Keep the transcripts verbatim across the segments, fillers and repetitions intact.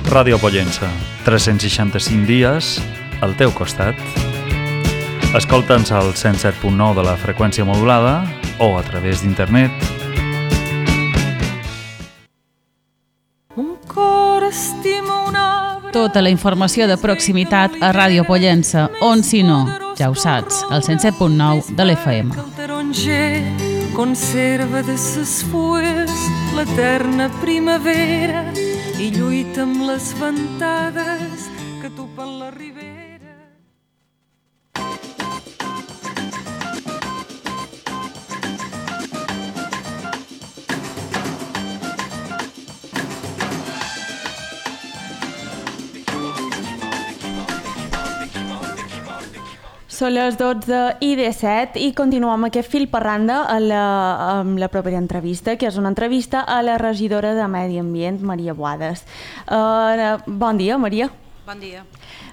Ràdio Pollença, tres-cents seixanta-cinc dies al teu costat. Escolta'ns al cent set punt nou de la freqüència modulada o a través d'internet. Un cor estima un arbre. Tota la informació de proximitat a Ràdio Pollença, on si no, ja ho saps, al cent set punt nou de l'F M. El taronger conserva de ses fulles l'eterna primavera i lluita amb les ventades que topen la ribera. Són les dotze i disset i continuem aquest fil per randa a la, amb la propera entrevista, que és una entrevista a la regidora de Medi Ambient, Maria Boades. Uh, bon dia, Maria. Bon dia.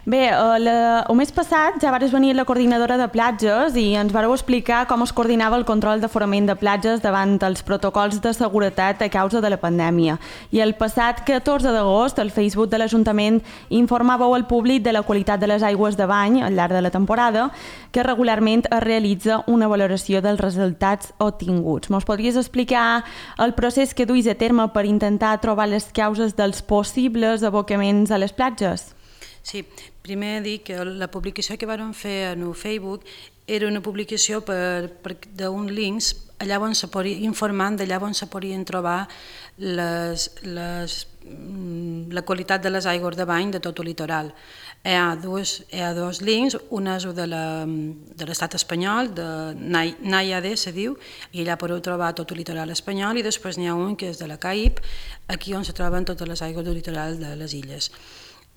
Bé, uh, la, el mes passat ja vares venir la coordinadora de platges i ens vareu explicar com es coordinava el control d'aforament de platges davant els protocols de seguretat a causa de la pandèmia. I el passat catorze d'agost, al Facebook de l'Ajuntament informaveu al públic de la qualitat de les aigües de bany al llarg de la temporada, que regularment es realitza una valoració dels resultats obtinguts. Mos podries explicar el procés que duis a terme per intentar trobar les causes dels possibles abocaments a les platges? Sí, primer dir que la publicació que vam fer en el Facebook era una publicació per, per, d'un links allà on se podia, informant d'allà on se podien trobar les, les, la qualitat de les aigües de bany de tot el litoral. Hi ha dos, hi ha dos links, un és el de, la, de l'estat espanyol, de NAIAD se diu, i allà podeu trobar tot el litoral espanyol, i després n'hi ha un que és de la CAIP, aquí on se troben totes les aigües del litoral de les illes.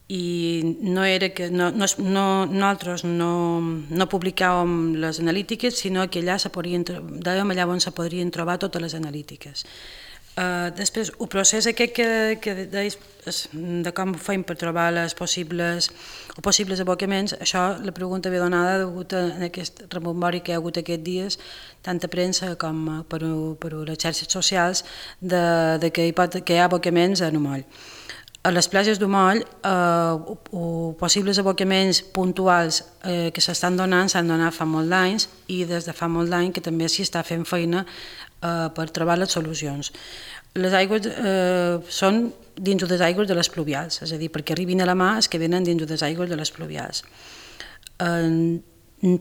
I no era que no, no, no, nosaltres no, no publicàvem les analítiques, sinó que allà se podien, dèiem allà on se podrien trobar totes les analítiques. Uh, després, el procés aquest que, que deies de com ho fem per trobar les possibles, o possibles abocaments, això la pregunta ve donada degut a aquest rebombori que hi ha hagut aquests dies, tant a premsa com per, per les xarxes socials, de, de que, hi pot, que hi ha abocaments a Numoll. A les platges d'Umoll, eh, o possibles abocaments puntuals eh, que s'estan donant s'han donat fa molt d'anys i des de fa molt d'any que també s'hi està fent feina eh, per trobar les solucions. Les aigües eh, són dins de les aigües de les pluvials, és a dir, perquè arribin a la mà és que venen dins de les aigües de les pluvials. Eh,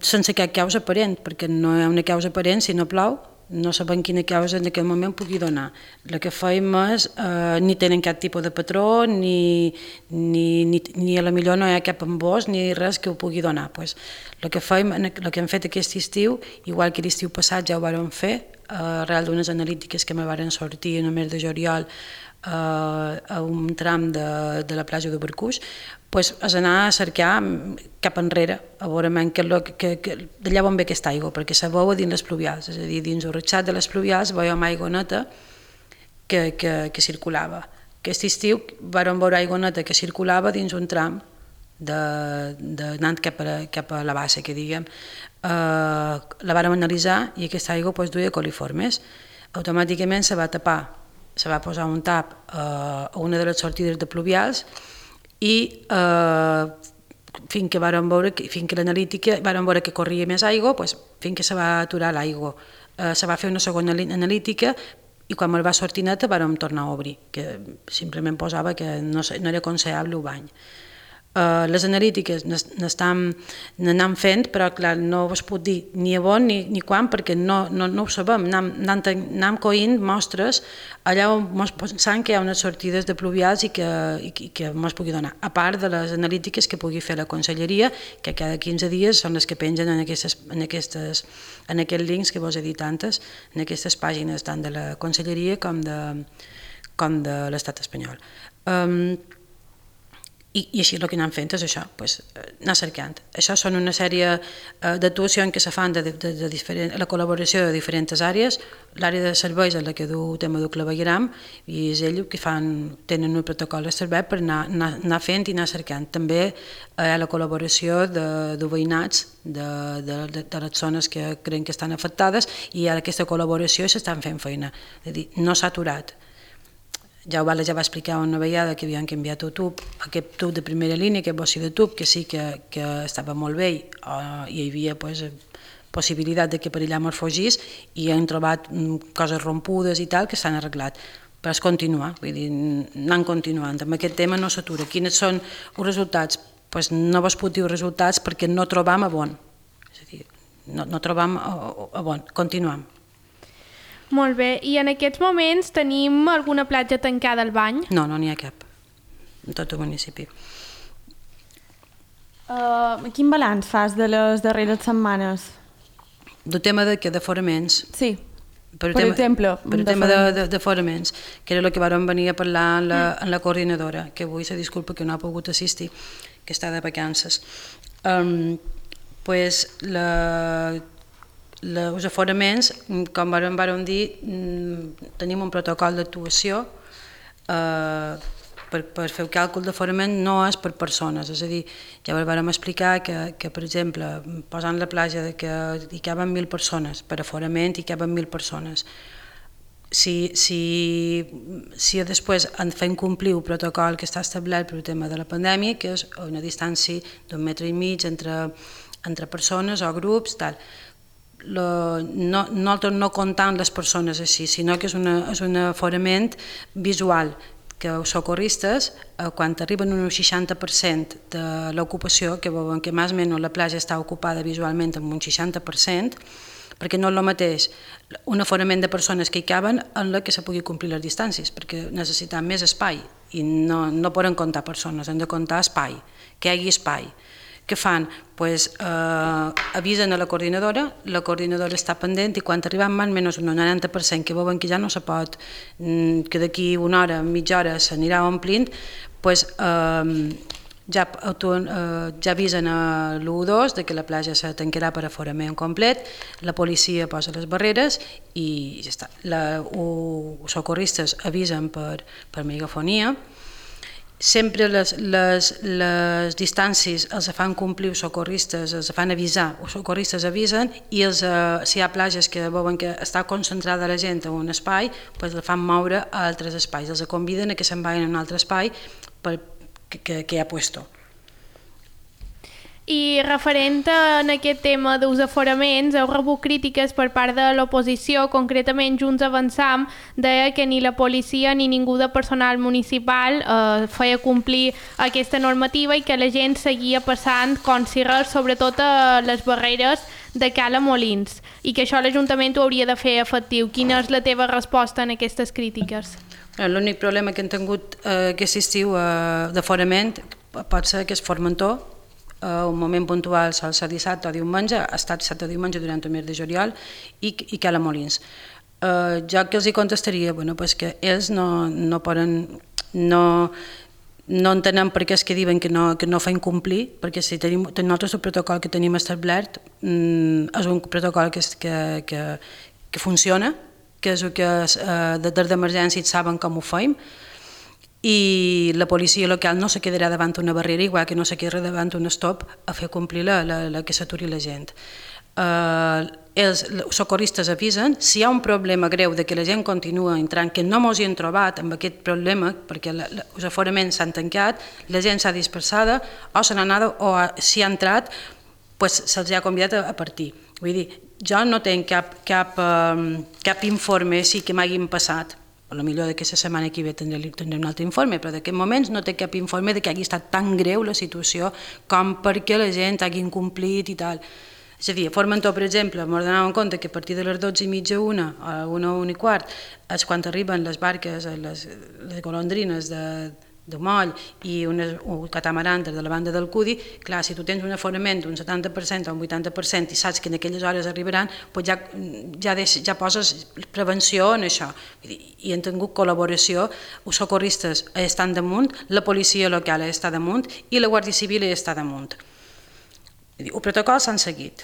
sense cap causa aparent, perquè no hi ha una causa aparent si no plou, no sabem quina causa en aquell moment pugui donar. El que fem és, eh, ni tenen cap tipus de patró, ni, ni, ni, ni a la millor no hi ha cap embòs, ni res que ho pugui donar. Pues, el que fem, el que hem fet aquest estiu, igual que l'estiu passat ja ho vàrem fer, eh, arrel d'unes analítiques que me varen sortir en el mes de juliol eh, a un tram de, de la platja de Barcús, pues, és anar a cercar cap enrere, a veure que, que, que, d'allà on ve aquesta aigua, perquè se veu dins les pluvials, és a dir, dins el ratxat de les pluvials veiem aigua neta que, que, que circulava. Aquest estiu vam veure aigua neta que circulava dins un tram de, de, anant cap a, cap a la bassa, que diguem. Uh, la vàrem analitzar i aquesta aigua pues, duia coliformes. Automàticament se va tapar, se va posar un tap uh, a una de les sortides de pluvials i uh, fins que vàrem veure, fins que l'analítica vàrem veure que corria més aigua, pues, fins que se va aturar l'aigua. Uh, se va fer una segona analítica i quan me'l va sortir neta vàrem tornar a obrir, que simplement posava que no, no era aconsellable el bany. Uh, les analítiques n'anem fent, però clar, no us puc dir ni a on ni, ni quan, perquè no, no, no ho sabem. Anem coint mostres allà on ens pensam que hi ha unes sortides de pluvials i que, i, i que ens pugui donar. A part de les analítiques que pugui fer la conselleria, que cada quinze dies són les que pengen en, aquestes, en, aquestes, en aquests links que vos he dit antes, en aquestes pàgines tant de la conselleria com de, com de l'estat espanyol. Um, I, i així el que anem fent és això, pues, anar cercant. Això són una sèrie uh, d'actuacions que se fan de, de, de diferent, la col·laboració de diferents àrees. L'àrea de serveis és la que du el tema del clavegueram i és ells que fan, tenen un protocol de servei per anar, anar, anar fent i anar cercant. També hi ha la col·laboració de, de veïnats de, de, de, de les zones que creuen que estan afectades i hi ha aquesta col·laboració i s'estan fent feina. És a dir, no s'ha aturat. ja ho va, ja va explicar una vegada que havien canviat el tub, aquest tub de primera línia, aquest bocí de tub, que sí que, que estava molt bé, uh, i hi havia pues, possibilitat de que per allà mos fugís, i han trobat um, coses rompudes i tal que s'han arreglat. Però és continuar, vull dir, anant continuant. Amb aquest tema no s'atura. Quins són els resultats? Pues no vos puc dir els resultats perquè no trobam a bon. És a dir, no, no trobam a, a bon. Continuam. Molt bé, i en aquests moments tenim alguna platja tancada al bany? No, no n'hi ha cap, en tot el municipi. Uh, quin balanç fas de les darreres setmanes? Del tema de què? D'aforaments? Sí, per, per tema, exemple. Per el tema d'aforaments, que era el que vam venir a parlar en la, en la coordinadora, que avui se disculpa que no ha pogut assistir, que està de vacances. Um, pues la... Els aforaments, com vam, vam dir, tenim un protocol d'actuació eh, per, per fer el càlcul d'aforament no és per persones, és a dir, ja vam explicar que, que per exemple, posant la platja de que hi caben mil persones, per aforament hi caben mil persones. Si, si, si després en fem complir el protocol que està establert per el tema de la pandèmia, que és una distància d'un metre i mig entre, entre persones o grups, tal, Lo, no, nosaltres no comptam les persones així, sinó que és, una, és un aforament visual, que els socorristes, eh, quan arriben a un seixanta per cent de l'ocupació, que veuen que més o menys la platja està ocupada visualment amb un seixanta per cent, perquè no és el mateix un aforament de persones que hi caben en la que se pugui complir les distàncies, perquè necessitem més espai i no, no poden comptar persones, han de comptar espai, que hi hagi espai. Què fan? Pues, eh, avisen a la coordinadora, la coordinadora està pendent i quan arribem més o menys un noranta per cent que veuen que ja no se pot, que d'aquí una hora, mitja hora s'anirà omplint, pues, eh, ja, eh, ja avisen a l'u dos de que la platja se tancarà per aforament complet, la policia posa les barreres i ja està. La, els socorristes avisen per, per megafonia. Sempre les, les, les distàncies els fan complir els socorristes, els fan avisar, els socorristes avisen i els, eh, si hi ha platges que veuen que està concentrada la gent en un espai, doncs els fan moure a altres espais, els conviden a que se'n vagin a un altre espai per, que, que, que hi ha puesto. I referent a aquest tema dels aforaments, heu rebut crítiques per part de l'oposició, concretament Junts Avançam, deia que ni la policia ni ningú de personal municipal eh, feia complir aquesta normativa i que la gent seguia passant com si res, sobretot a les barreres de Cala Molins, i que això l'Ajuntament ho hauria de fer efectiu. Quina és la teva resposta en aquestes crítiques? L'únic problema que hem tingut eh, aquest estiu eh, d'aforament pot ser que és Formentor. Uh, un moment puntual sol ser dissabte o diumenge, ha estat dissabte o diumenge durant el mes de juliol, i, i Cala Molins. Uh, jo que els hi contestaria, bueno, pues que ells no, no poden, no, no entenem per què és que diuen que no, que no fan complir, perquè si tenim, nosaltres el protocol que tenim establert mm, és un protocol que, que, que, que funciona, que és el que uh, des d'emergència saben com ho fem, i la policia local no se quedarà davant una barrera, igual que no se quedarà davant un stop a fer complir la, la, la que s'aturi la gent. Uh, els socorristes avisen, si hi ha un problema greu de que la gent continua entrant, que no mos hi hem trobat amb aquest problema, perquè la, la, els aforaments s'han tancat, la gent s'ha dispersada, o se n'ha anat, o si ha entrat, pues se'ls ha convidat a, a partir. Vull dir, jo no tinc cap, cap, um, cap informe sí que m'hagin passat, potser d'aquesta setmana que ve tindré, tindré un altre informe, però d'aquest moments no té cap informe de que hagi estat tan greu la situació com perquè la gent hagi incomplit i tal. És a dir, a Formentor, per exemple, m'ho donàvem compte que a partir de les dotze i mitja, una, a una, una i quart, és quan arriben les barques, les, les golondrines de, de moll i una, un catamaran de la banda del Cudi. Clar, si tu tens un aforament d'un setanta per cent o un vuitanta per cent i saps que en aquelles hores arribaran, doncs ja, ja, deix, ja poses prevenció en això. I han tingut col·laboració, els socorristes estan damunt, la policia local està damunt i la Guàrdia Civil està damunt. El protocol s'han seguit.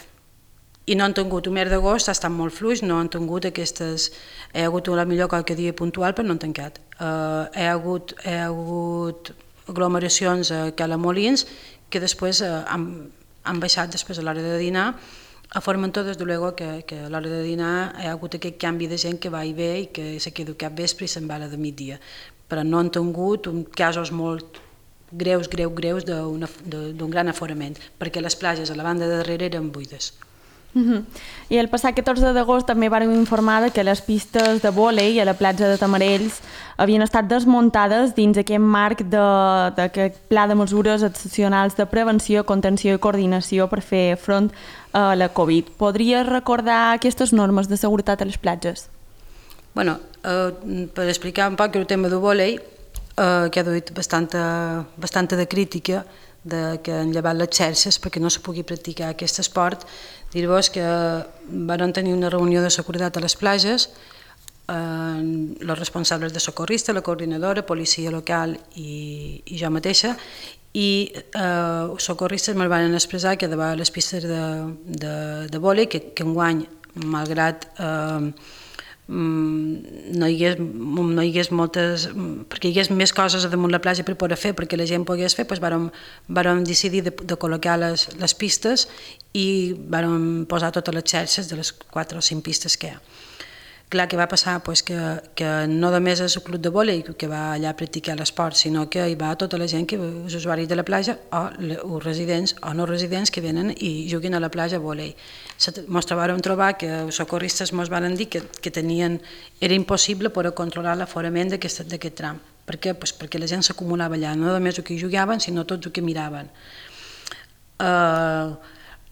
I no han tingut, el mes d'agost ha estat molt fluix, no han tingut aquestes... Hi ha hagut la millor qualque dia puntual, però no han tancat. Uh, hi, ha hagut, hi ha hagut aglomeracions a Cala Molins que després uh, han, han baixat després a l'hora de dinar A Formentor, des de luego, que, que a l'hora de dinar hi ha hagut aquest canvi de gent que va i ve i que se queda cap vespre i se'n va a la de migdia. Però no han tingut casos molt greus, greus, greus d'un gran aforament, perquè les platges a la banda de darrere eren buides. Uh-huh. I el passat catorze d'agost també vàrem informar que les pistes de vòlei a la platja de Tamarells havien estat desmuntades dins aquest marc d'aquest pla de mesures excepcionals de prevenció, contenció i coordinació per fer front a la Covid. Podries recordar aquestes normes de seguretat a les platges? Bueno, eh, per explicar un poc el tema del vòlei, eh, que ha duit bastanta, bastanta de crítica de que han llevat les xarxes perquè no se pugui practicar aquest esport. Dir-vos que van tenir una reunió de seguretat a les platges, eh, els responsables de socorrista, la coordinadora, policia local i, i jo mateixa, i eh, els socorristes me'l van expressar que davant les pistes de, de, de vòlei, que, que enguany, malgrat eh, no hi hagués, no hi hagués moltes, perquè hi hagués més coses damunt la platja per poder fer, perquè la gent pogués fer, doncs vàrem, vàrem decidir de, de col·locar les, les pistes i vàrem posar totes les xarxes de les quatre o cinc pistes que hi ha. Clar, que va passar pues, que, que no només és el club de vòlei que va allà a practicar l'esport, sinó que hi va tota la gent, que els usuaris de la platja o els residents o no residents que venen i juguen a la platja a vòlei. Ens trobàrem trobar que els socorristes ens van dir que, que tenien, era impossible poder controlar l'aforament d'aquest tram. Per què? Pues perquè la gent s'acumulava allà, no només el que jugaven, sinó tots el que miraven. Uh,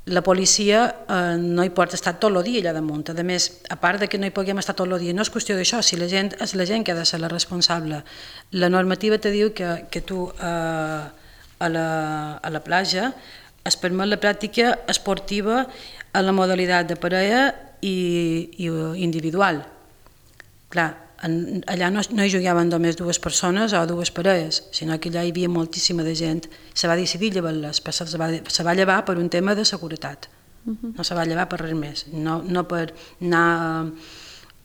La policia eh, no hi pot estar tot el dia allà damunt. A més, a part de que no hi puguem estar tot el dia, no és qüestió d'això, si la gent és la gent que ha de ser la responsable. La normativa te diu que, que tu eh, a, la, a la platja es permet la pràctica esportiva en la modalitat de parella i, i individual. Clar, en, allà no, no hi jugaven només dues persones o dues parelles, sinó que allà hi havia moltíssima de gent. Se va decidir llevar-les, però se va, se va llevar per un tema de seguretat. Uh-huh. No se va llevar per res més, no, no per anar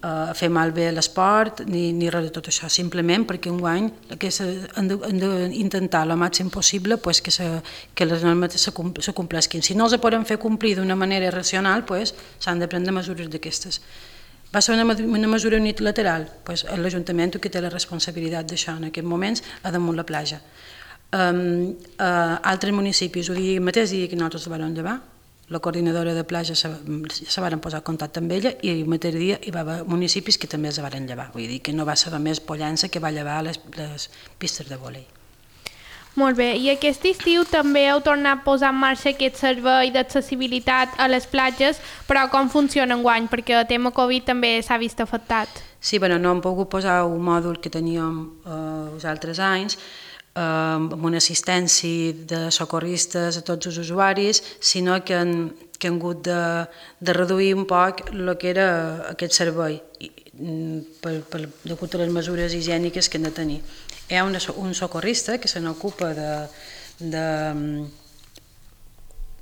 a fer malbé l'esport ni, ni res de tot això, simplement perquè enguany que se, han d'intentar el màxim possible pues, que, se, que les normes se, se complesquin. Si no els poden fer complir d'una manera racional, pues, s'han de prendre mesures d'aquestes. Va ser una, una mesura unilateral, pues, l'Ajuntament que té la responsabilitat d'això en aquests moments a damunt la platja. Um, uh, altres municipis, el dia mateix dia que nosaltres la vam llevar, la coordinadora de platja se, se van posar en contacte amb ella i el mateix dia hi va haver municipis que també se van llevar, vull dir que no va ser només Pollença que va llevar les, les pistes de vòlei. Molt bé, i aquest estiu també heu tornat a posar en marxa aquest servei d'accessibilitat a les platges, però com funciona enguany? Perquè el tema Covid també s'ha vist afectat. Sí, bueno, no hem pogut posar un mòdul que teníem eh, els altres anys, eh, amb una assistència de socorristes a tots els usuaris, sinó que han, que han hagut de, de reduir un poc el que era aquest servei, per, per, degut a les mesures higièniques que han de tenir. Hi ha una, un socorrista que se n'ocupa de, de,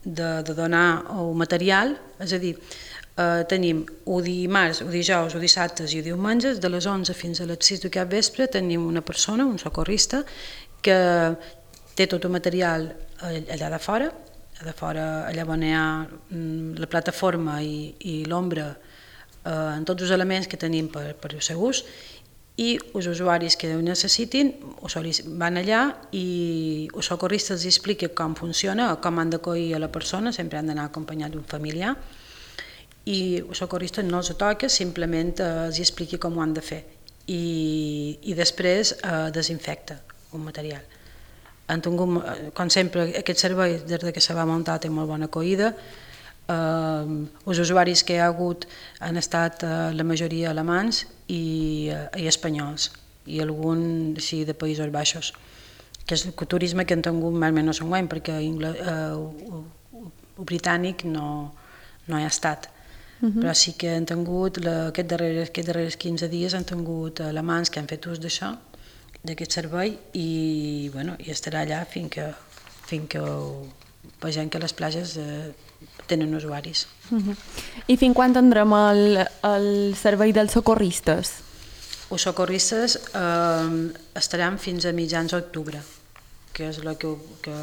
de, de donar el material, és a dir, eh, tenim o dimarts, o dijous, o dissabtes i o diumenges, de les onze fins a les sis de cap vespre, tenim una persona, un socorrista, que té tot el material allà de fora, de fora allà on hi ha la plataforma i, i l'ombra, eh, en tots els elements que tenim per, per el seu ús, i els usuaris que ho necessitin van allà i els socorristes els expliquen com funciona o com han d'acollir a la persona, sempre han d'anar acompanyat d'un familiar, i el socorrista no els toca, simplement els explica com ho han de fer i, i després eh, desinfecta un material. Han tingut, com sempre, aquest servei des que se va muntar té molt bona acollida. Uh, els usuaris que hi ha hagut han estat uh, la majoria alemans i, uh, i espanyols i algun sí, de Països Baixos, que és el turisme que han tingut més o menys un any, perquè uh, el, el britànic no, no hi ha estat. Uh-huh. Però sí que han tingut, la, aquests, darrers, aquests darrers quinze dies han tingut alemans que han fet ús d'això, d'aquest servei, i, bueno, i estarà allà fins que, fins que vegem que les platges eh, tenen usuaris. Uh-huh. I fins quan tindrem el, el servei dels socorristes? Els socorristes eh, estaran fins a mitjans d'octubre. que és el que, que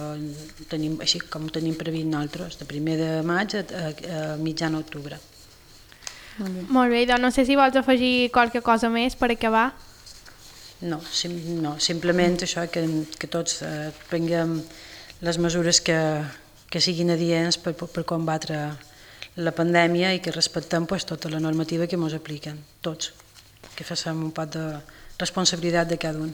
tenim, així com ho tenim previst nosaltres, de primer de maig a, a, a mitjan octubre. Molt bé. Molt bé, doncs no sé si vols afegir qualque cosa més per acabar. No, sim, no simplement això, que, que tots eh, prenguem les mesures que, que siguin adients per, per combatre la pandèmia i que respectem pues, tota la normativa que ens apliquen, tots, que facem un poc de responsabilitat de cada un.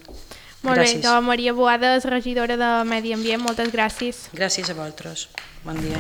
Molt gràcies. Bé, doncs Maria Boades, regidora de Medi Ambient, moltes gràcies. Gràcies a vosaltres. Bon dia.